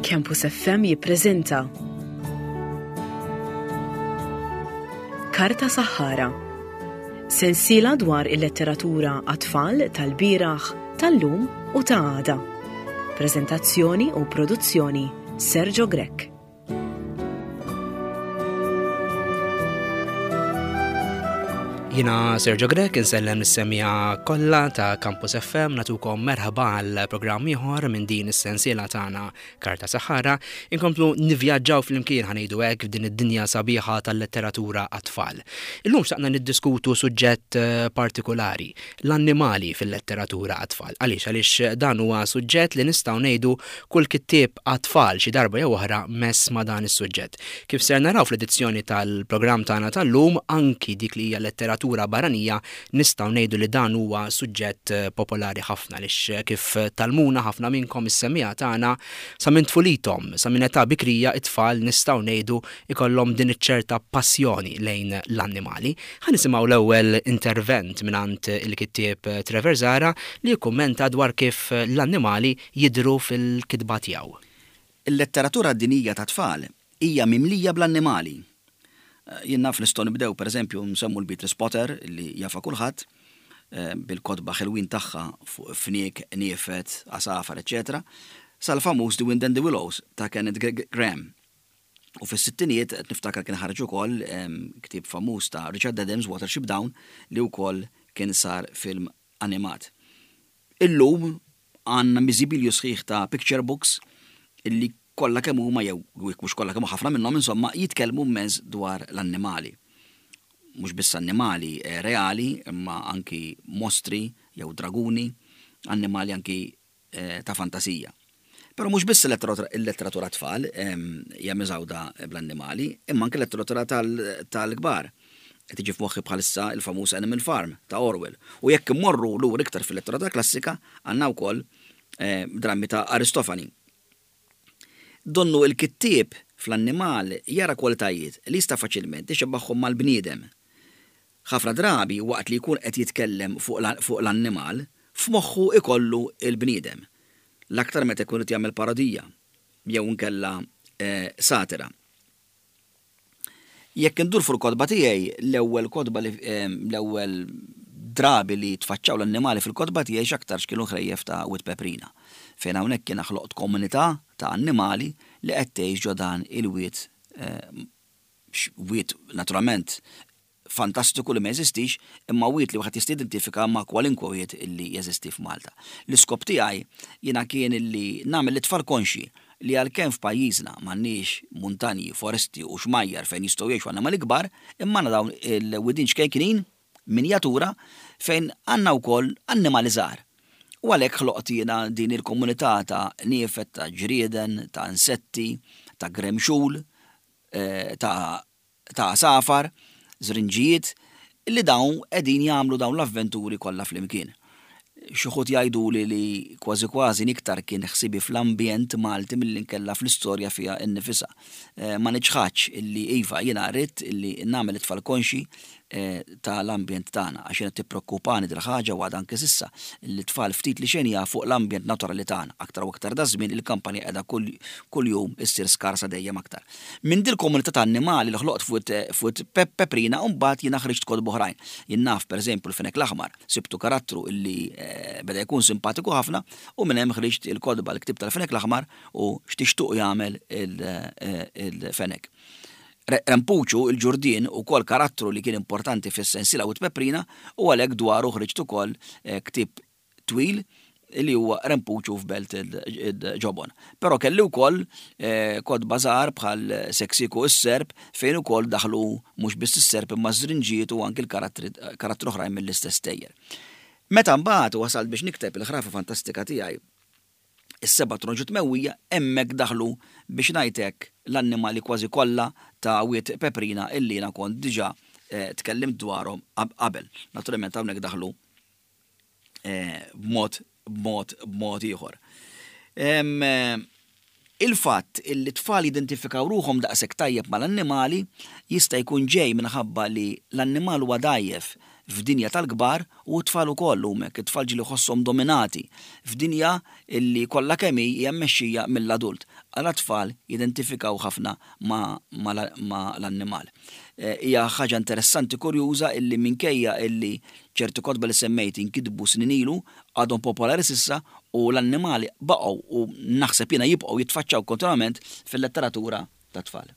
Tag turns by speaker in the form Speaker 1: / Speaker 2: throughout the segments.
Speaker 1: Campus FM jippreżenta Karta Saħħara. Sensiela dwar il-letteratura għat-tfal tal-bieraħ, tal-lum u ta' għada. Preżentazzjoni u produzzjoni Sergio Grech.
Speaker 2: Jina Sergio Grech insellem is-semija kollha ta' Campus FM natukom merħba għal programm ieħor minn din is-sensiela tagħna Karta Saħara. Inkomplu nivvjaġġaw flimkien ħanejdu hekk f'din id-dinja sabiħa tal-letteratura għat-tfal. Illum xtaqna niddiskutu suġġett eh, partikolari, l-annimali fil-letteratura għat-tfal. Għaliex? Għaliex dan huwa suġġett li nistgħu ngħidu kull kittieb għat-tfal xi darba jew oħra mess ma' dan is-suġġett. Kif ser naraw fl-edizzjoni tal-programm tagħna tal-lum, anki dik li hija letteratura barranija nistgħu ngħidu li dan huwa suġġett popolari ħafna għaliex kif tgħallmuna ħafna minnkom is-semmiegħa tagħna sa minn tfulithom, sa minn età bikrija t-tfal nistgħu ngħidu ikollhom din iċ-ċerta passjoni lejn l-annimali. Ħa nisimgħu l-ewwel intervent mingħand il-kittieb Trevor Zahra li jikkummenta dwar kif l-annimali jidhru fil-kitba tiegħu.
Speaker 3: Il-letteratura dinjija tat-tfal hija mimlija bl-annimali. Jien naf nistgħu nibdew pereżempju nsemmu l-Beatrice Potter li jafha kulħadd bil-kotba ħelwin tagħha fuq fniek, qniefed, għasafar eċċetera sal-famuż The Wind and the Willows ta' Kenneth Grahame. U fis-sittinijiet qed niftakar kien ħareġ ukoll ktieb famuż ta' Richard Adams, Watership Down, li wkoll kien sar film animat. Illum għandna miżibilju sħiħ ta' picture books illi kollha kemm huma jew jekk mhux kollha kemm ħafna minnhom insomma jitkellmu immens dwar l-annimali. Mhux biss annimali reali imma anki mostri jew draguni, annimali anki ta' fantasija. Però mhux biss il-letteratura tfal hija miżgħuda bl-annimali, imma anke l-letteratura tal-kbar. Qed tiġi f'moħħi bħalissa l-famuż Animal Farm ta' Orwell. U jekk immorru lura iktar fil-letteratura klassika, għandna wkoll drammi ta' Aristofani. Donnu l-kittieb fl-annimal jara kwalitajiet li jista' faċilment ixebbahhom mal-bniedem. Ħafna drabi waqt li jkun qed jitkellem fuq l-annimal, f'moħħu jkollu l-bniedem. L-aktar meta jkun irid jagħmel parodija jew inkella satira. Jekk indur fuq il-kotba tiegħi, l-ewwel kotba li l-ewwel drabi li tfaċċaw l-annimali fil-kotba tiegħi x'aktarx kienu ħrejjef ta' Wied Peprina, fejn hawnhekk jiena ħloqt komunità ta' annimali li qed tgħix ġo dan il-wied wied naturalment fantastiku li ma jeżistix, imma wied li wieħed jista' jidentifika ma' kwalinkwe wied illi jeżisti f'Malta. L-iskop tiegħi jiena kien illi nagħmel lit-tfal konxji li għalkemm f'pajjiżna m'għandniex muntanji, foresti u xmajjar fejn jistgħu jgħixu annimali kbar, imma għandna dawn il-widien ċkejknin, minjatura, fejn għandna wkoll annimali żgħar. U għalhekk ħloqt jiena din il-komunità ta' qniefed, ta' ġrieden, ta' insetti, ta' gremxul, ta' ta' għasafar, żrinġijiet, li dawn qegħdin jagħmlu dawn l-avventuri kollha flimkien. Xi wħud jgħiduli li kważi kważi iktar kien ħsiebi fl-ambjent Malti milli nkella fl-istorja fiha nnifisha. Ma niċħadx illi iva jiena ridt illi nagħmel it-tfal konxji ta' l-ambjent tagħna għax jiena tippreokkupani dil-ħaġa u għadha anke s'issa li t-tfal ftit li xejn jafu l-ambjent naturali tagħna. Aktar u aktar daż-żmien il-kampanja qiegħda kuljum issir skarsa dejjem aktar. Minn dil-komunità ta' annimali li ħloqt f'Wied Peprina mbagħad jiena ħriġt kotba oħrajn. Jien naf, per eżempju, l-Fenek l-Aħmar, sibtu karattru illi beda jkun simpatiku ħafna u minn hemm ħriġt il-kotba l-ktieb tal-Fenek l-Aħmar u x'tixtuq jagħmel il-fenek. Rempuċu, il-ġurdien, ukoll karattru li kien importanti fis-sensiela Wied Peprina u għalhekk dwaru ħriġt ukoll ktieb twil li huwa Rempuċu f'Belt il-Ġobon. Però kelli wkoll kotba żgħar bħal Seksiku s-Serp fejn ukoll daħlu mhux biss is-serp imma ż-żrinġijiet u anki l-karattri oħrajn mill-istess stejjer. Meta mbagħad wasalt biex nikteb il-ħrafa fantastika tiegħi Is-seba' tronġu tmewwija hemmhekk daħlu biex ngħid hekk l-annimali kważi kollha ta' Wied Peprina illi jiena kont diġà tkellimt dwarhom qabel. Naturalment hawnhekk daħlu b'mod b'mod b'mod ieħor. Il-fatt illi t-tfal jidentifikaw ruħhom daqshekk tajjeb mal-annimali jista' jkun ġej minħabba li l-annimal huwa dgħajjef f'dinja tal-kbar u t-tfal ukoll huma hekk. It-tfal ġieli jħosshom dominati f'dinja illi kollha kemm hi hija mmexxija mill-adult. Għala t-tfal jidentifikaw ħafna ma' ma' l-annimal. Hija ħaġa interessanti kurjuża illi minkejja illi ċerti kotba li semmejt inkitbu snin ilu, għadhom popolari s'issa u l-annimali baqgħu u naħseb jiena jibqgħu jitfaċċaw kontinwament fil-letteratura tat-tfal.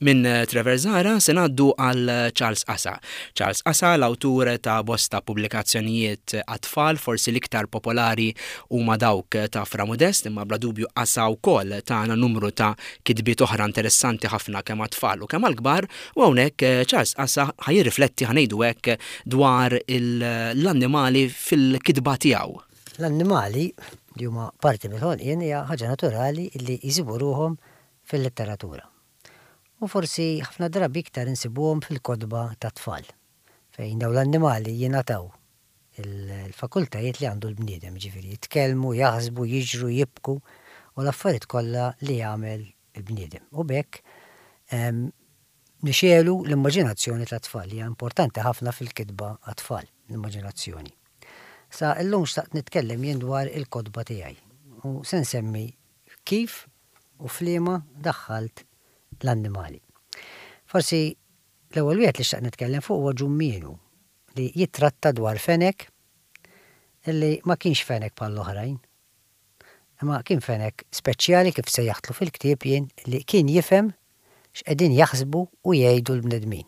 Speaker 2: Minn Trevor Zahra se ngħaddu għal Charles Asa. Charles Asa, l-awtur ta' bosta pubblikazzjonijiet għat-tfal, forsi l-iktar popolari huma dawk ta' Fra Modest, imma bla dubju Asa wkoll tana numru ta' kitbiet oħra interessanti ħafna kemm għat-tfal u kemm għall-kbar, u hawnhekk Charles Asa ħa jirrifletti, ħa ngħidu hekk, dwar l-annimali fil-kitba tiegħu.
Speaker 4: L-annimali, li huma parti mill-ħolqien, hija ħaġa naturali li jsibu ruħhom fil-letteratura. U forsi ħafna drabi iktar insibuhom fil-kotba tat-tfal, fejn dawn l-annimali jingħataw il-fakultajiet li għandu l-bniedem, jiġifieri jitkellmu, jaħsbu, jiġru, jibku u l-affarijiet kollha li jagħmel il-bniedem. U b'hekk nixegħlu l-immaġinazzjoni tat-tfal li hija importanti ħafna fil-kitba għat-tfal, l-immaġinazzjoni. Sa llum xtaqt nitkellem jien dwar il-kotba tiegħi u se nsemmi kif u f'liema daħħalt l-annimali. Forsi l-ewwel wieħed li xtaqt nitkellem fuq huwa Ġummienu li jittratta dwar fenek li ma kienx fenek bħall-oħrajn. Imma kien fenek speċjali kif sejjaħtlu fil-ktieb jien li kien jifhem x'qegħdin jaħsbu u jgħidu l-bnedmin.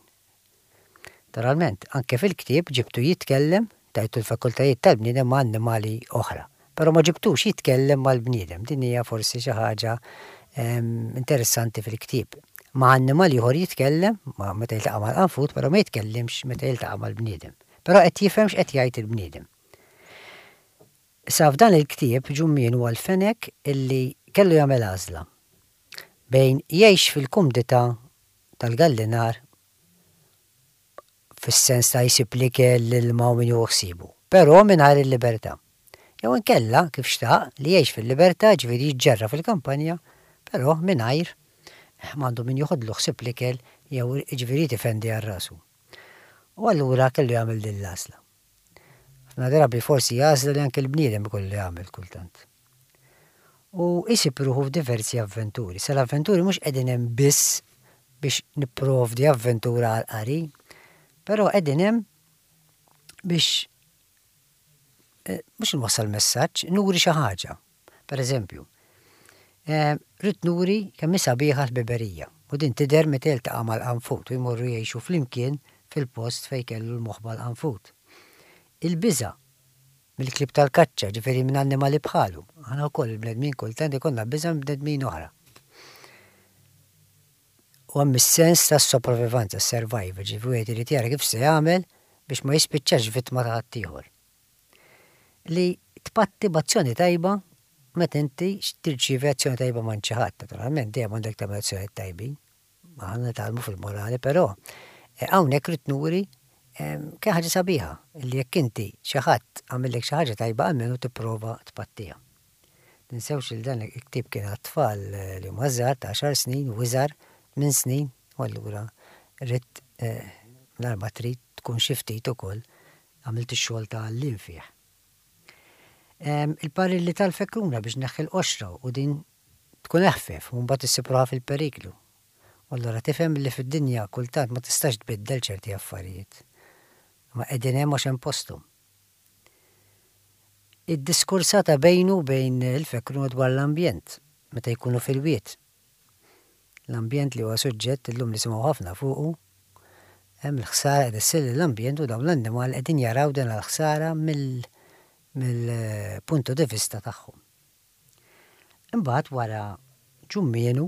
Speaker 4: Naturalment, anke fil-ktieb ġibtu jitkellem, tajtu l-fakultajiet tal-bniedem ma' annimali oħra. Però ma ġibtux jitkellem mal-bniedem. Din hija forsi xi ħaġa interessanti fil-ktieb. Ma' annimal ieħor jitkellem, ma' meta jiltaqa' mal-qanfud, però ma jitkellimx meta jiltaqa' mal-bniedem. Però qed jifhem x'qed jgħid il-bniedem. Issa f'dan il-ktieb Ġummien huwa l-fenek illi kellu jagħmel għażla bejn jgħix fil-kumdità tal-gallinar fis-sens ta' jsib l-ikel, l-ilma u min jieħu ħsiebu, però mingħajr il-libertà. Jew inkella, kif xtaq, li jgħix fil-libertà, jiġifieri jiġġerra fil-kampanja, però mingħajr m'għandu min joħodlu ħsieb l-ikel jew jiġifieri jrid ifendi għal rasu. U allura kellu jagħmel din l-għażla. Ħafna drabi forsi għażla li anke l-bniedem ikollu jagħmel kultant. U jsib ruħu f'diversi avventuri. Sa l-avventuri mhux qegħdin hemm biss biex nipprovdi avventura għall-qari, però qegħdin hemm biex eh, mhux nwassal messaġġ, nuri xi ħaġa. Per eżempju, eh, rrid nuri kemm hi sabiħa l-ħbiberija u din tidher meta jiltaqa' mal-qanfut u jmorru jgħixu flimkien fil-post fejn kellu l-moħba l-qanfut. Il-biża' mill-klieb tal-kaċċa, ġifieri minn annimali bħalu. Aħna wkoll il-bnedmin kultant ikollna biża' minn bnedmin oħra. U hemm is-sens tas-sopravivanza, survival, ġifieri wieħed irid jara kif se jagħmel biex ma jispiċċax vittma ta' ħaddieħor. Li tpatti b'azzjoni tajba meta inti tirċievi azzjoni tajba minn xi ħadd, naturalment dejjem għandek tagħmel azzjonijiet tajbin. Aħna nitgħallmu fil-morali, però eh, hawnhekk rrid nuri eh, kien ħaġa sabiħa li jekk inti xi ħadd għamillek xi ħaġa tajba almenu tipprova tpattiha. Tinsewx li dan il-ktieb kien għat-tfal eh, li huma żgħar ta' għaxar snin u iżgħar minn snin u allura rrid mingħajr ma trid tkun xi ftit ukoll għamilt ix-xogħol ta' għalliem fih. Il-parilli tal-fekruna biex neħħi l-qoxra u din Tkun eħfef u mbagħad issib ruħha fil-periklu. U allura tifhem li fid-dinja kultant ma tistax tbiddel ċerti affarijiet. Imma qegħdin hemm għax hemm posthom. Id-diskursata bejnu u bejn il-fekruna dwar l-ambjent, meta jkunu fil-wied. L-ambjent li huwa suġġett illum nisimgħu ħafna fuqu, hemm il-ħsara qed issir lill-ambjent u dawn l-annimali qegħdin jaraw din l-ħsara mill-punto di vista tagħhom. Imbagħad wara Ġummienu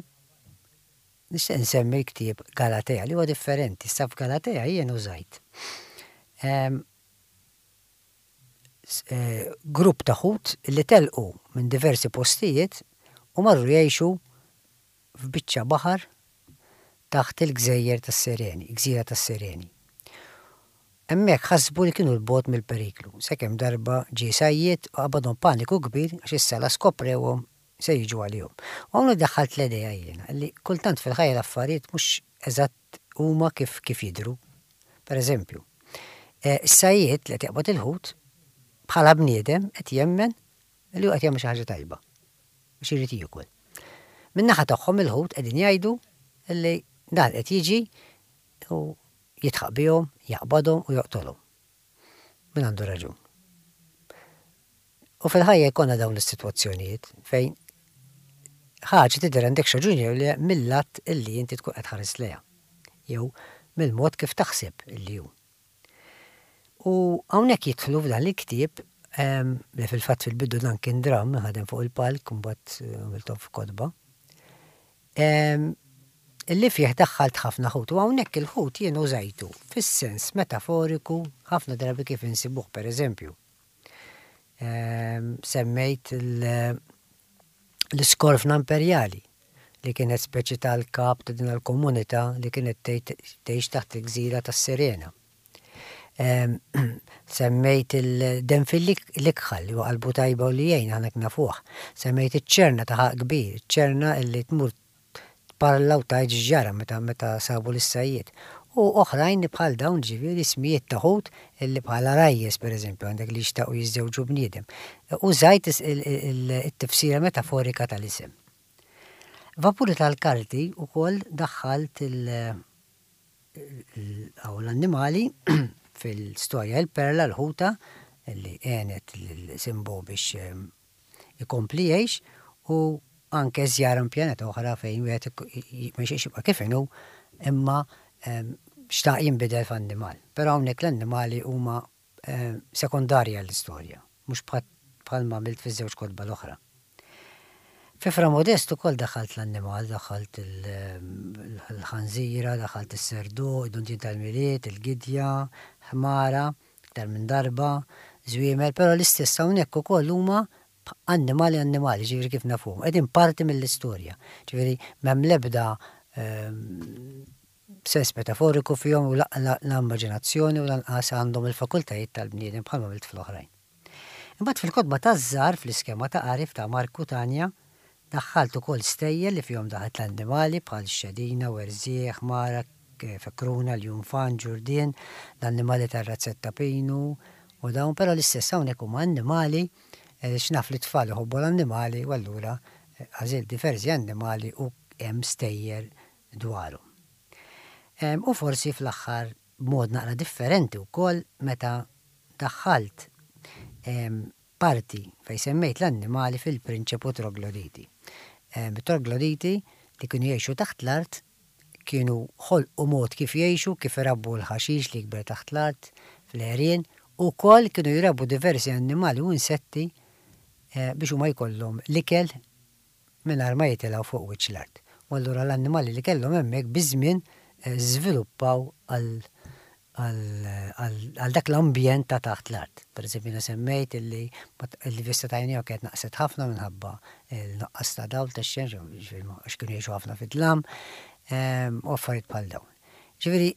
Speaker 4: nixtieq insemmi l-ktieb Galatea li huwa differenti. Issa f'Galatea jien użajt ehm, eh, grupp ta' ħut li telqu minn diversi postijiet u marru jgħixu f'biċċa baħar taħt il-gżejjer tas-Sireni, gżira tas-Sireni. Hemmhekk ħasbu li kienu 'l bogħod mill-periklu, sakemm darba ġie sajjied u qabadhom paniku kbir għax issa la skoprewhom se jiġu għalihom. U hawnhekk daħħalt l-idea jiena li kultant fil-ħajja l-affarijiet mhux eżatt huma kif kif jidhru. Per eżempju, is-sajjied li qed jaqbad il-ħut bħala bniedem qed jemmen li hu qed jagħmel xi ħaġa tajba għax irid jiekol. Min-naħa tagħhom il-Lhud qegħdin jgħidu li dan qed jiġi u jidħaq bihom, jaqbadhom u joqtolhom. Min għandu raġun? U fil-ħajja jkollna dawn is-sitwazzjonijiet fejn ħaġa tidher għandek raġun jew le mill-att illi inti tkun qed tħares lejha jew mill-mod kif taħseb illi hu. U hawnhekk jidħlu f'dan il-ktieb li fil-fatt fil-bidu dan kien dramm ħadem fuq il-palk mbagħad għamilthom f'kotba. Illi fih daħħalt ħafna ħut u hawnhekk il-ħut jien użajtu fis-sens metaforiku ħafna drabi kif insibuh pereżempju. Semmejt l-iskorfna imperjali li kienet speċi tal-kap ta' din il-komunità li kienet tgħix taħt il-gżira tas-Sirena. Semmejt il-denfil l-ikħal li huwa qalbu tajba u li jgħin aħna nafuh. Semmejt iċ-ċerna ta' ħalq kbir, iċ-ċerna li tmur tparla u tgħid x'ġara meta meta sabu lis-sajjied. U oħrajn li bħal dawn ġifieri ismijiet ta' ħut li bħal għarajjes pereżempju għandek li jixtaqu jiżżewġu bniedem. Użajt it-tifsira metaforika tal-isem. Vapuri tal-karti wkoll daħħalt il l-annimali fil-storja il-perla l-ħuta li għenet lil Simbo biex ikompli jgħix u anke żjara minn pjaneta oħra fejn wieħed ma jixtieqx jibqa' kif inhu imma xtaq jinbidel f'annimal. Però hawnhekk l-annimali huma sekondarji għall-istorja, mhux bħalma għamilt fiż-żewġ kotba l-oħra. Fi Fra Modest ukoll daħħalt l-annimal, daħħalt il-ħanżira, daħħalt is-serduq, id-dundien tal-Milied, il-gidja, ħmara, iktar minn darba, żwiemel, però l-istess hawnhekk ukoll huma annimali annimali, ġifieri kif nafuhom, qegħdin parti mill-istorja. Ġifieri m'hemm l-ebda sens metaforiku fihom u la immaġinazzjoni u lanqas għandhom il-fakultajiet tal-bniedem bħalma għamilt fl-oħrajn. Imbagħad fil-kotba taż-żgħar fl-iskema ta' qari ta' Mark u Tanja Daħħalt ukoll stejjer li fihom daħlet l-annimali bħal xedina, werżieq, ħmara, fekruna, ljunfan, ġurdien, l-annimali tar-razzett ta' Pinu u dawn, però l-istess hawnhekk huma annimali għaliex naf li t-tfal iħobbu l-annimali u allura għażilt diversi annimali u hemm stejjer dwarhom. U forsi fl-aħħar b'mod naqra differenti wkoll meta daħħalt parti fejn semmejt l-annimali fil-prinċepu trogloditi. It-trogloditi li kienu jgħixu taħt l-art kienu ħolqu mod kif jgħixu, kif irabbu l-ħaxix li jikber taħt l-art fl-għerien, u wkoll kienu jrabbu diversi annimali u insetti biex huma jkollhom l-ikel mingħajr ma jitilgħu fuq wiċċ l-art. U allura l-annimali li kellhom hemmhekk biż-żmien żviluppaw għal għal dak l-ambjent ta' taħt l-art. Per eżempju, jiena semmejt illi l-vista ta' għajnejhom kienet naqset ħafna minħabba l-nuqqas ta' dawl tax-xemx, ġifieri għax kienu jgħixu ħafna fid-dlam, u affarijiet bħal dawn. Ġifieri,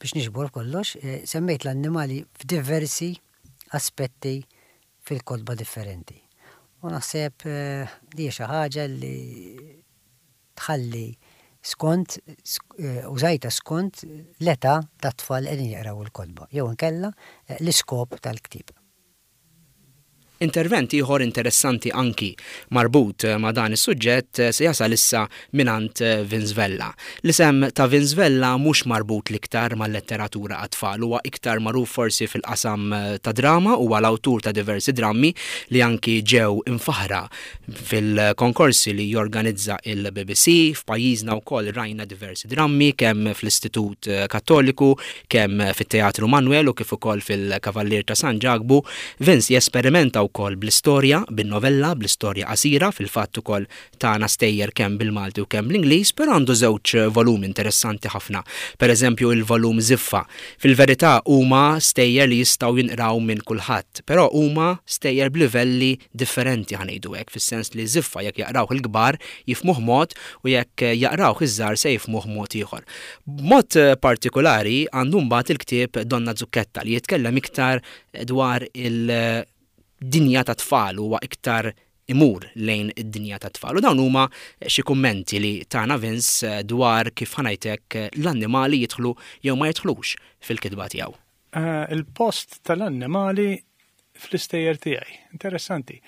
Speaker 4: biex niġbor kollox, semmejt l-annimali f'diversi aspetti fil-kotba differenti. U naħseb li hija xi ħaġa li tħalli skont, użajtha skont l-età tat-tfal li qegħdin jaqraw il-kotba jew inkella l-iskop tal-ktieb.
Speaker 2: Intervent ieħor interessanti anki marbut ma' dan is-suġġett se jasal issa mingħand Vince Vella. L-isem ta' Vince Vella mhux marbut l-iktar mal-letteratura għat-tfal, huwa iktar magħruf forsi fil-qasam tad-drama, huwa l-awtur ta' diversi drammi li anki ġew imfaħħra fil-konkorsi li jorganizza il-BBC. F'pajjiżna wkoll rajna diversi drammi kemm fl-Istitut Kattoliku, Kemm fit-Teatru Manwel u kif ukoll fil-Kavallier ta' San Ġakbu, Vince jesperimenta wkoll bl-istorja, bin-novella, bl-istorja qasira, fil-fatt ukoll tana stejjer kemm bil-Malti u kemm bl-Ingliż, però għandu żewġ volumi interessanti ħafna. Per eżempju il-volum Żiffa. Fil-verità huma stejjer li jistgħu jinqraw minn kulħadd, però huma stejjer b'livelli differenti ħa ngħidu hekk, fis-sens li Żiffa jekk jaqrawh il-kbar jifhmuh mod u jekk jaqrawh iż-żgħar se jifhmuh mod ieħor. B'mod partikulari għandu mbagħad il-ktieb Donna Zucchetta li jitkellem iktar dwar il-dinja tat-tfal, huwa iktar imur lejn id-dinja tat-tfal. U dawn huma xi kummenti li tana Vince dwar kif ħa ngħid hekk l-annimali jidħlu jew ma jidħlux fil-kitba tiegħu.
Speaker 5: Il-post tal-annimali fl-istejjer tiegħi. Interessanti.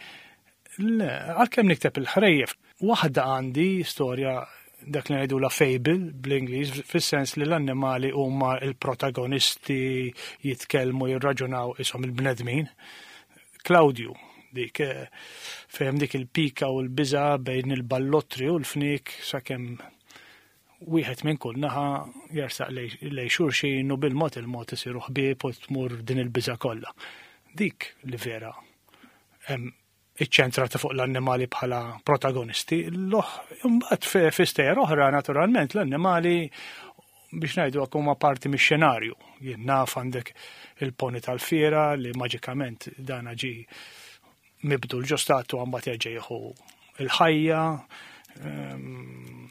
Speaker 5: Le, għalkemm nikteb il-ħrejjef, waħda għandi storja dak li ngħidula fable bl-Ingliż fis-sens li l-annimali huma l-protagonisti jitkellmu jirraġunaw ishom il-bnedmin. Claudio, dik eh, fejn dik il-pika u l-biża bejn il-ballottri u l-fnik sakemm wieħed minn kull naħa jersaq lej xulxin u bil-mod il-mod isiru ħbieb u tmur din il-biża kollha. Dik li vera iċċentrata fuq l-annimali bħala protagonisti, l-oħ, imbagħad fi stejjer oħra naturalment l-annimali biex ngħidu hekk huma parti mix-xenarju. Jien naf għandek il-poni tal-fiera li maġikament dana ġi mibdul ġo statwa mbagħad jerġa' jieħu il-ħajja, ehm,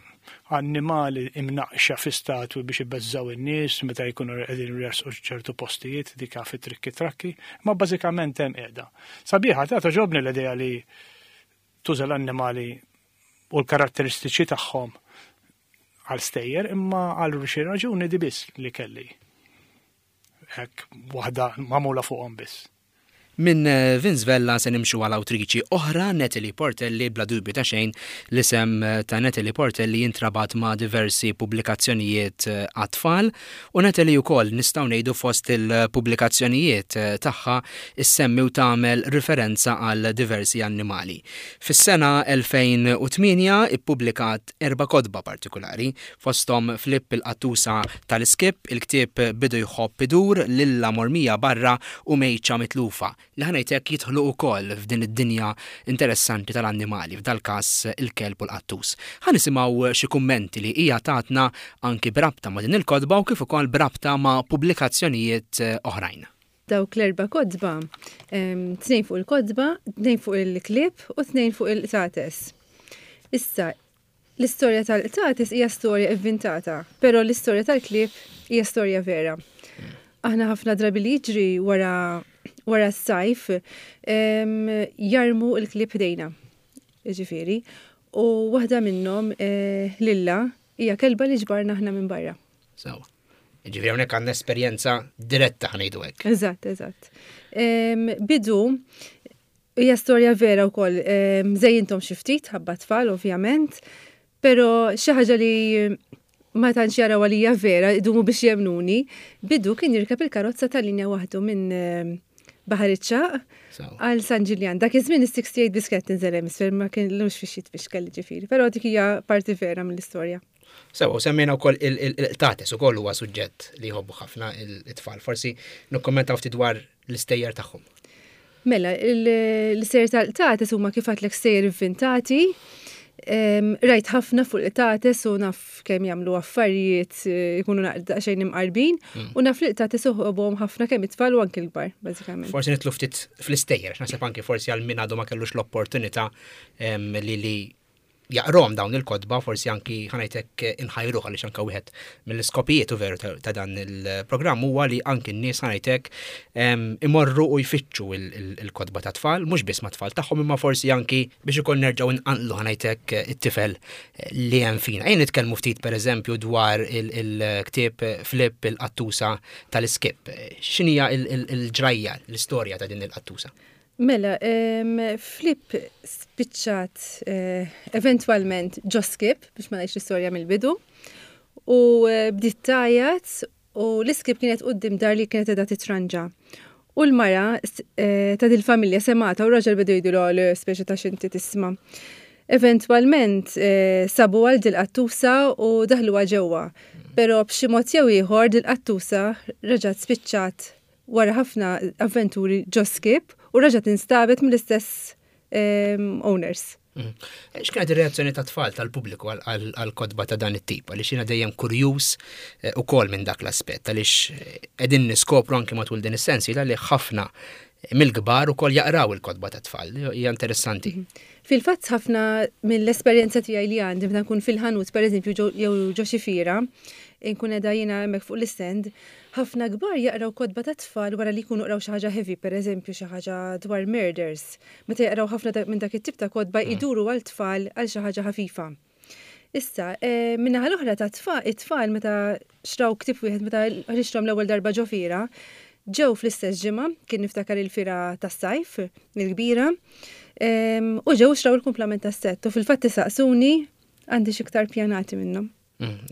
Speaker 5: annimali imnaqxa fi statwi biex ibeżżaw in-nies meta jkunu qegħdin jersqu ċertu postijiet dik fi trikki trakki, ma bażikament hemm qiegħda. Sabiħa ta' toġobni l-idea li tuża l-annimali u l-karatteristiċi tagħhom għal stejjer imma għal xi raġuni di biss li kelli. Hekk waħda magħmula fuqhom biss.
Speaker 2: Minn Vince Vella se nimxu għal awtriċi oħra, Natalie Portelli, bla dubju ta' xejn l-isem ta' Natalie Portelli jintrabat ma' diversi pubblikazzjonijiet għat-tfal u Natalie wkoll nistgħu ngħidu fost il-pubblikazzjonijiet tagħha ssemmi u tagħmel riferenza għal diversi annimali. Fis-sena 2008 ippubblikat erba' kotba partikulari, Fosthom Flipp il-qattusa tal-iskipp, il-ktieb Bidu jħobb idur, Lilla mormija barra u Mejċa mitlufa, li ħa ngħid hekk jidħlu wkoll f'din id-dinja interessanti tal-annimali, f'dal-każ il-kelb u l-qattus. Ħa nisimgħu xi kummenti li hija tatna anki b'rabta ma' din il-kotba u kif ukoll b'rabta ma' pubblikazzjonijiet oħrajn.
Speaker 6: Dawk l-erba' kotba, tnejn fuq il-kotba, tnejn fuq il-klieb u tnejn fuq il-qtates. Issa, L-istorja tal-qtates hija storja ivvintata, però l-istorja tal-klieb hija storja vera. Aħna ħafna drabi li jiġri wara wara s-sajf jarmu l-klieb ħdejna. Ġifieri, u waħda minnhom eh, Lilla hija kelba li ġbarna aħna minn barra.
Speaker 2: Sewa. Ġifieri hawnhekk għandna esperjenza diretta ħanejdu hekk.
Speaker 6: Eżatt, eżatt. Bidu Hija storja vera wkoll, żejjinthom xi ftit ħabba tfal ovvjament, però xi ħaġa li ma tantx jaraw għalija vera, idumu biex jemnuni, bidu kien jirkeb il-karozza tal-linja waħdu minn Baħar iċ-Ċagħaq għal San Ġiljan. Dak iż-żmien is-68 biss kienet tinżel hemm isfel ma kienx fix jitfixkel ġifieri, però dik hija parti vera mill-istorja.
Speaker 2: Sewa, u semmejna wkoll il-qtates ukoll huwa suġġett li jħobbu ħafna it-tfal. Forsi nikkommentaw ftit dwar l-istejjer tagħhom.
Speaker 6: Mela, l-istejjer tal-qtates huma kif għadlek stejjer ivvintati. Rajt ħafna fuq il-qtates u naf kemm jagħmlu affarijiet eh, jkunu daqsxejn imqarbin mm. u naf li l-qtates uħobhom ħafna kemm it-tfal u anki l-kbar, bażikament.
Speaker 2: Forsi nitlu ftit fl-istejjer, naħseb anki forsi għal min għadu ma kellux l-opportunità li li jaqrom dawn il-kotba, forsi anki ħanajtek inħajruh għaliex anka wieħed mill-iskopijiet u veru ta' dan il-programm huwa li anki n-nies ħanajtek imorru u jfittxu il-kotba ta' tfal, mhux biss ma' tfal tagħhom imma forsi anki biex ukoll nerġgħu nqanqlu ħanajtek it-tifel li hemm fina. Ejja nitkellmu ftit pereżempju dwar il-ktieb Flip il-qattusa tal-iskip. X'inhija il-ġrajja, l-istorja ta' din il-qattusa?
Speaker 6: Mela, Flip spiċċat eh, eventwalment ġo skip, biex ma ngħidx l-istorja mill-bidu, u eh, bdiet tgħajjat u l-iskip kienet quddiem dar li kienet qiegħda titranġa. U l-mara eh, ta' dil-familja semata u raġel bidu jgħidu l speċi ta' xinti tisma'. Eventwalment sabu għal dil-qattusa u daħluha ġewwa. Però b'xi mod jew ieħor dil-qattusa reġgħet spiċċat wara ħafna avventuri ġo skip u reġgħet instabet mill-istess ehm, owners.
Speaker 2: Mm. X'kienet ir-reazzjoni ta' tfal tal-pubbliku għal-kotba ta' dan it-tip? Għaliex jiena dejjem kurjuż eh, ukoll minn dak l-aspett għaliex eh, qegħdin niskopru anke matul din is-sensi li ħafna mill-kbar ukoll jaqraw il-kotba ta' tfal. Hija interessanti. Mhm.
Speaker 6: Fil-fatt ħafna mill-esperjenza tiegħi li għandi meta nkun fil-ħanut pereżempju jew ġo xi fiera, inkun qiegħda jiena hemmhekk fuq l-istand, ħafna kbar jaqraw kotba tat-tfal wara li jkunu qraw xi ħaġa heavy, pereżempju xi ħaġa dwar murders. Meta jaqraw ħafna minn dak it-tip ta' kotba jduru għal tfal għal xi ħaġa ħafifa. Issa, min-naħa l-oħra ta' it-tfal meta xtraw ktieb wieħed meta ħriġthom l-ewwel darba ġo fiera, ġew fl-istess ġimgħa, kien niftakar il-fiera tas-sajf, il-kbira. U ġew xtraw il-kumplament tas-sett u fil-fatt isaqsuni għandi iktar pjanati minnhom.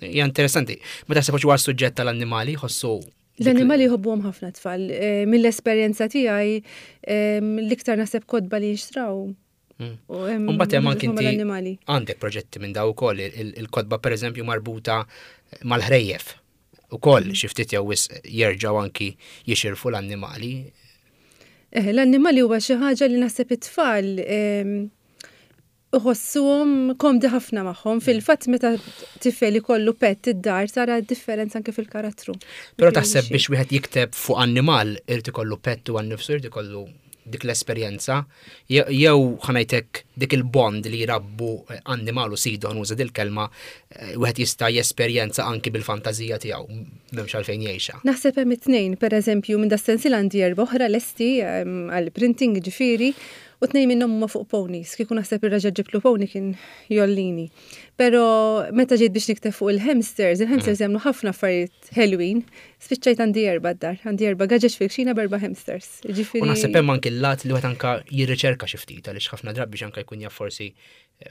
Speaker 2: Hija interessanti. Ma taħseb huwa suġġett tal-annimali jħossu
Speaker 6: L-annimali jħobbuhom ħafna tfal. Mill-esperjenza tiegħi l-iktar naħseb kotba li jinxtraw.
Speaker 2: Mbagħad hemm anki inti għandek proġetti minn daw ukoll il-kotba pereżempju marbuta mal-ħrejjef. Ukoll xi ftit jew wisq jerġgħu anki jixirfu l-annimali.
Speaker 6: Eh, l-annimali huwa xi ħaġa li naħseb it-tfal iħossuhom komdi ħafna magħhom. Fil-fatt meta tifel ikollu pet id-dar tara differenza anke fil-karattru.
Speaker 2: Però taħseb biex wieħed jikteb fuq annimal irid ikollu pet u għan-nifsu irid ikollu dik l-esperjenza jew ħa ngħidlek dik il-bond li jrabbu annimal u sidu nuża dil-kelma wieħed jista' jesperjenza anki bil-fantażija tiegħu m'hemmx għalfejn jgħixha.
Speaker 6: Naħseb hemm it-tnejn, pereżempju minn das-sensiela għandi erba' oħra lesti għall-printing ġifieri u tnejn minnhom huma fuq ponies. Kieku naħseb ir-raġel ġibtlu pony kien jollini. Però meta ġejt biex nikteb fuq il-hamsters, il-hamsters jagħmlu ħafna affarijiet ħelwin, spiċċajt għandi erba' d-dar, għandi erba' gaġeġ fil-kxina b'erba' hamsters.
Speaker 2: Ġifieri. U naħseb hemm anki l-lat li wieħed anka jirriċerka xi ftit għaliex ħafna drabi biex anka jkun jaf forsi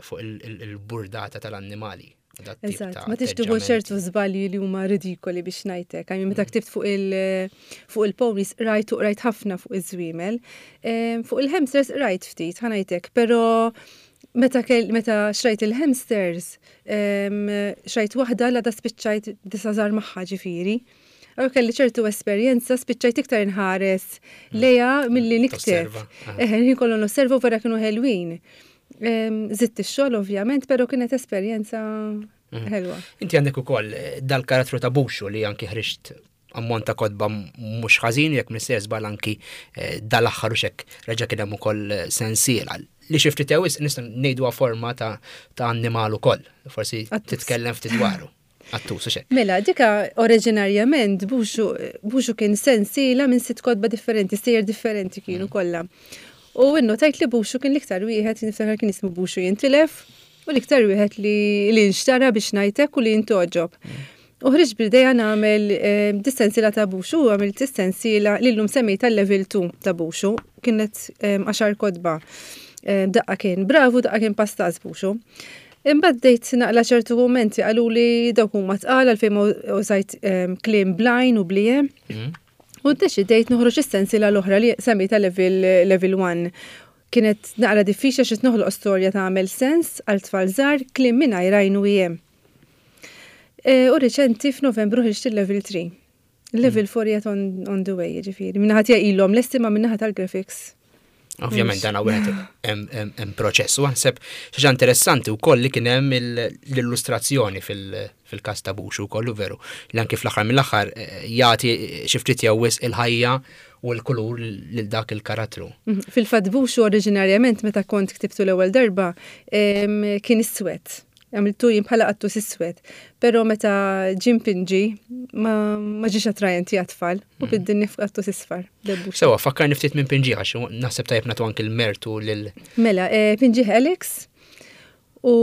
Speaker 2: fuq il-burdata tal-annimali.
Speaker 6: Eżatt, ma tix tieħu ċertu żbalji li huma ridikoli biex ngħidlek. Għajmi meta ktibt fuq il- fuq il-ponies rajt u qrajt ħafna fuq iż-żwiemel. Fuq il-hamsters rajt ftit, ħa ngħidlek, però meta meta xrajt il-hamsters, xrajt waħda la da spiċċajt disa' żgħar magħha ġifieri. Allura kelli ċertu esperjenza, spiċċajt iktar inħares lejha milli nikteb. Eħe, ħin kollu nosserva u vera kienu ħelwin. Zitt ix-xogħol ovvjament, però kienet esperjenza ħelwa.
Speaker 2: Inti għandek ukoll dal-karattru ta' Buxu li anki ħriġt ammont ta' kotba mhux ħażin jekk m'iniex żball anki dal-aħħar u xek reġa' kien hemm ukoll sensiela li xi ftit ewis nista' ngħiduha forma ta' annimal ukoll. Forsi titkellem ftit dwaru. Qattus u xek.
Speaker 6: Mela, dika oriġinarjament Buxu, Buxu kien sensiela minn sitt kotba differenti, stejjer differenti kienu kollha. U innotajt li Buxu kien l-iktar wieħed, niftakar kien ismu Buxu jintilef, u l-iktar wieħed li li nxtara biex ngħidlek u li ntogħġob. U ħriġt bl-idea nagħmel dis-sensiela ta' Buxu, u għamilt is-sensiela li llum semmejtha level 2 ta' Buxu, kienet 10 kotba. Daqqa kien bravu, daqqa kien pastaz Buxu. Imbagħad bdejt naqla ċertu kummenti qaluli dawk huma tqal għalfejn ma użajt kliem bl-għajn u bl-ie. U ddeċidejt noħroġ is-sensiela l-oħra li semmejtha level level 1. Kienet naqra diffiċli għax noħloq storja tagħmel sens għal tfal żgħar kliem mingħajr għajn u ie. U riċenti f'Novembru ħriġt il-level 3. Level 4 yet on, on the way, ġifieri. Min-naħa tiegħi ilhom lesti ma min-naħa tal-graphics.
Speaker 2: Ovvjament dan wieħed hemm proċess u naħseb xi ħaġa interessanti wkoll li kien hemm l-illustrazzjoni fil-każ ta' Buxu wkoll veru li anki fl-aħħar mill-aħħar jagħti xi ftit jew wisq il-ħajja u l-kulur lil dak il-karattru.
Speaker 6: Fil-fatt Buxu oriġinarjament meta kont ktibtu l-ewwel darba kien iswed. Għamiltu jien bħala qattus iswed. Però meta ġie mpinġi ma ma ġiex attrajenti għat-tfal u biddilni f'qattus isfar.
Speaker 2: Debbux. Sewa, fakkarni ftit minn pinġi għax naħseb tajjeb nagħtu anki l-mertu lil.
Speaker 6: Mela, pinġih Alex u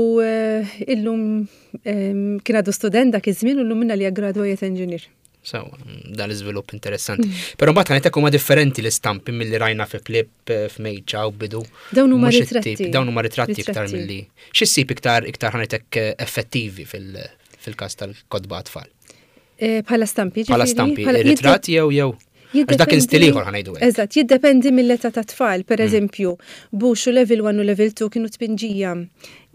Speaker 6: illum kien għadu student dak iż-żmien u llum minna li graduate engineer.
Speaker 2: Sewa, dan l-iżvilupp interessanti. Però mbagħad ħanejtek huma differenti l-istampi milli rajna fi Flip, f'Mejċa u bidu.
Speaker 6: Dawn huma ritratti.
Speaker 2: Dawn huma ritratti iktar milli. Xi ssib iktar iktar ħanejtek effettivi fil-każ tal-kotba tfal?
Speaker 6: Bħala stampi,
Speaker 2: Bħala stampi, ritratt jew jew. Għax dak kien stil ieħor ħa ngħidu hekk.
Speaker 6: Eżatt, jiddependi mill-età ta' tfal. Per eżempju, Buxu level 1 u level 2 kienu tpinġija.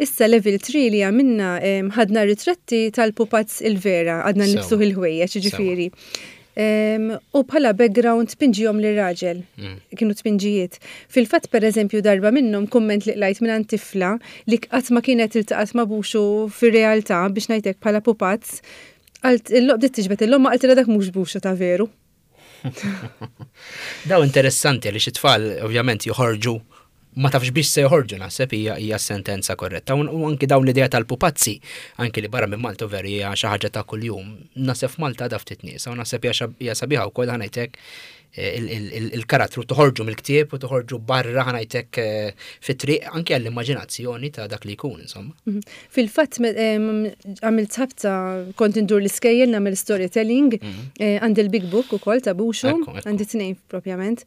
Speaker 6: Issa level 3 li għamilna ħadna ritratti tal-pupazz il-vera, għadna nibsuh il-ħwejjeġ, ġifieri. U bħala background tpinġihom lir-raġel. Kienu tpinġijiet. Fil-fatt, per eżempju, darba minnhom kumment li qlajt minn tifla li qatt ma kienet iltaqgħet ma' Buxu fir-realtà biex ngħidlek bħala pupazz, għalt bdiet tiġbed il-lomma qaltilha dak mhux Buxu ta' veru.
Speaker 2: Daw interessanti li xi tfal ovvjament joħorġu ma tafx biex se joħorġu naħseb hija hija sentenza korretta. U anki dawn l-idea tal-pupazzi, anki li barra minn Malta veru hija xi ħaġa ta' kuljum. Naħseb f'Malta da ftit nies, u naħseb hija sabiħa wkoll ħa ngħidlek. il-karattru toħorġu mill-ktieb u toħorġu barra ħanajtek eh, fit-triq anke għall-immaġinazzjoni ta' dak li jkun, insomma. Mhm.
Speaker 6: Fil-fatt għamilt ħabta kont indur l-iskejjel nagħmel storytelling, mhm. eh, għandi l-big book ukoll ta' Buxu, għandi tnejn propjament.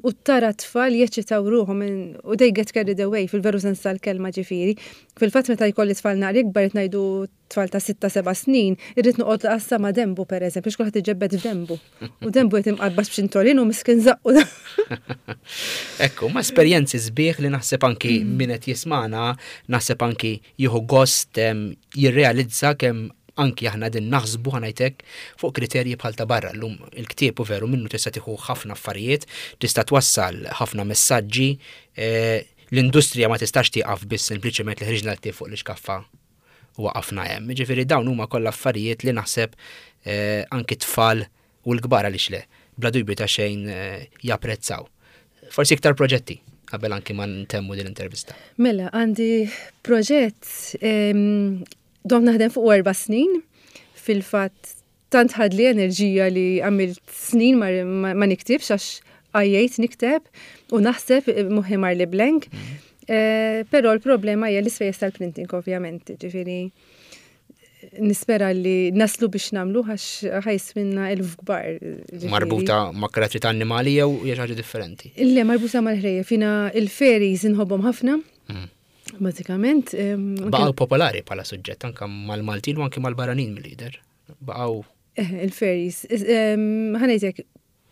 Speaker 6: U tara tfal jeċċitaw ruħhom u they get carried away fil-veru sens tal-kelma ġifieri. Fil-fatt meta jkolli tfal naqra ikbar qed ngħidu tfal ta' sitta seba' snin, irrid noqgħod għassa ma' dembu pereżempju, għax kulħadd iġebbed f'dembu. U dembu qed imqarbas b'xintolin u miskin żaqqu.
Speaker 2: Ekku, ma' esperjenzi sbieħ li naħseb anki mm. min qed jismana, naħseb anki jieħu gost jirrealizza kemm anki aħna din naħsbu ħanajtek fuq kriterji bħal ta' barra. Llum il-ktieb u veru minnu tista' tieħu ħafna affarijiet, tista' twassal ħafna messaġġi, eh, L-industrija ma tistax tieqaf biss sempliċement li ħriġna l-ktieb fuq l-ixkaffa u waqafna hemm. Jiġifieri dawn huma kollha affarijiet li naħseb eh, anki t-tfal u l-kbar għaliex le, bla dubju ta' xejn eh, japprezzaw. Forsi iktar proġetti qabel anki ma ntemmu din l-intervista.
Speaker 6: Mela, għandi proġett dom naħdem fuq erba' snin, fil-fatt Tant ħadli enerġija li għamilt snin ma, ma, ma niktibx għax għajjejt nikteb u naħseb moħħi mar li blank. Mm. Eh, però l-problema hija l-ispejjeż tal-printing ovvjament, ġifieri nispera li naslu biex namlu għax ħajswinna elf kbar.
Speaker 2: Marbuta ma' karattri ta' annimali jew hija ħaġa differenti?
Speaker 6: Le, marbuta mal-ħrejjef. Jiena il-fairies inħobbhom ħafna. Mm. Bażikament.
Speaker 2: Baqgħu popolari bħala suġġett anke mal-Maltin u anke mal-barranin mill-lider. Baqgħu.
Speaker 6: Eh, il-fairies. Ħanejtek,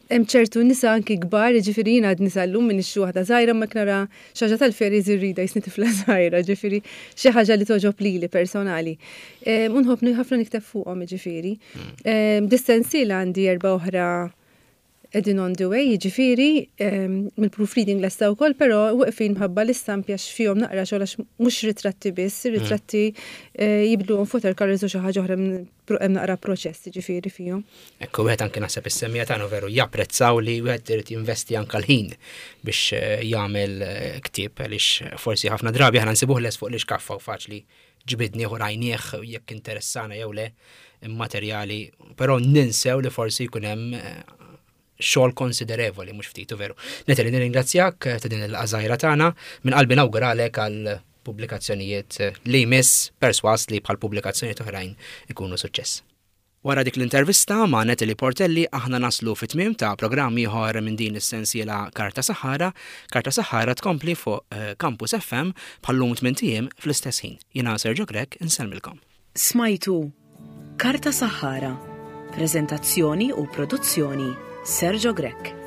Speaker 6: hemm ċertu nisa anki kbar, ġifieri jiena għad nisa llum minn xi waħda żgħira ma nara xi ħaġa tal-fairies irrida jisni tifla żgħira, ġifieri xi ħaġa li toġob lili personali. U nħobb ħafna nikteb fuqhom ġifieri. Mm. Dis-sensiela għandi erba' oħra Qegħdin on the way, jiġifieri, mill-proofreading lesta wkoll, però weqfin mħabba l-istampi għax fihom naqra xogħol għax mhux ritratti biss, ir-ritratti jibdluhom f'watercolours u xi ħaġa oħra hemm naqra proċess jiġifieri fihom.
Speaker 2: Ekku wieħed anke naħseb is-semmiegħa tagħna veru japprezzaw li wieħed irid jinvesti anke l-ħin biex jagħmel ktieb għaliex forsi ħafna drabi aħna nsibuh lest fuq l-ixkaffa u faċli ġbidnieh u rajnieh jekk interessana jew le immaterjali, però ninsew li forsi jkun hemm eh, xogħol konsiderevoli mhux ftit u veru. Natalie nirringrazzjak eh, ta' din il-qażajra tagħna minn qalbi nawguralek għal pubblikazzjonijiet eh, li jmiss perswas li bħal pubblikazzjonijiet oħrajn ikunu suċċess. Wara dik l-intervista ma' Natalie Portelli aħna naslu fit-tmiem ta' programm ieħor minn din is-sensiela Karta Saħħara. Karta Saħħara tkompli fuq eh, Campus FM bħal-lum tmint ijiem fl-istess ħin. Jiena Sergio Grech insellmilkom.
Speaker 1: Smajtu Karta Saħħara, preżentazzjoni u produzzjoni Sergio Grech.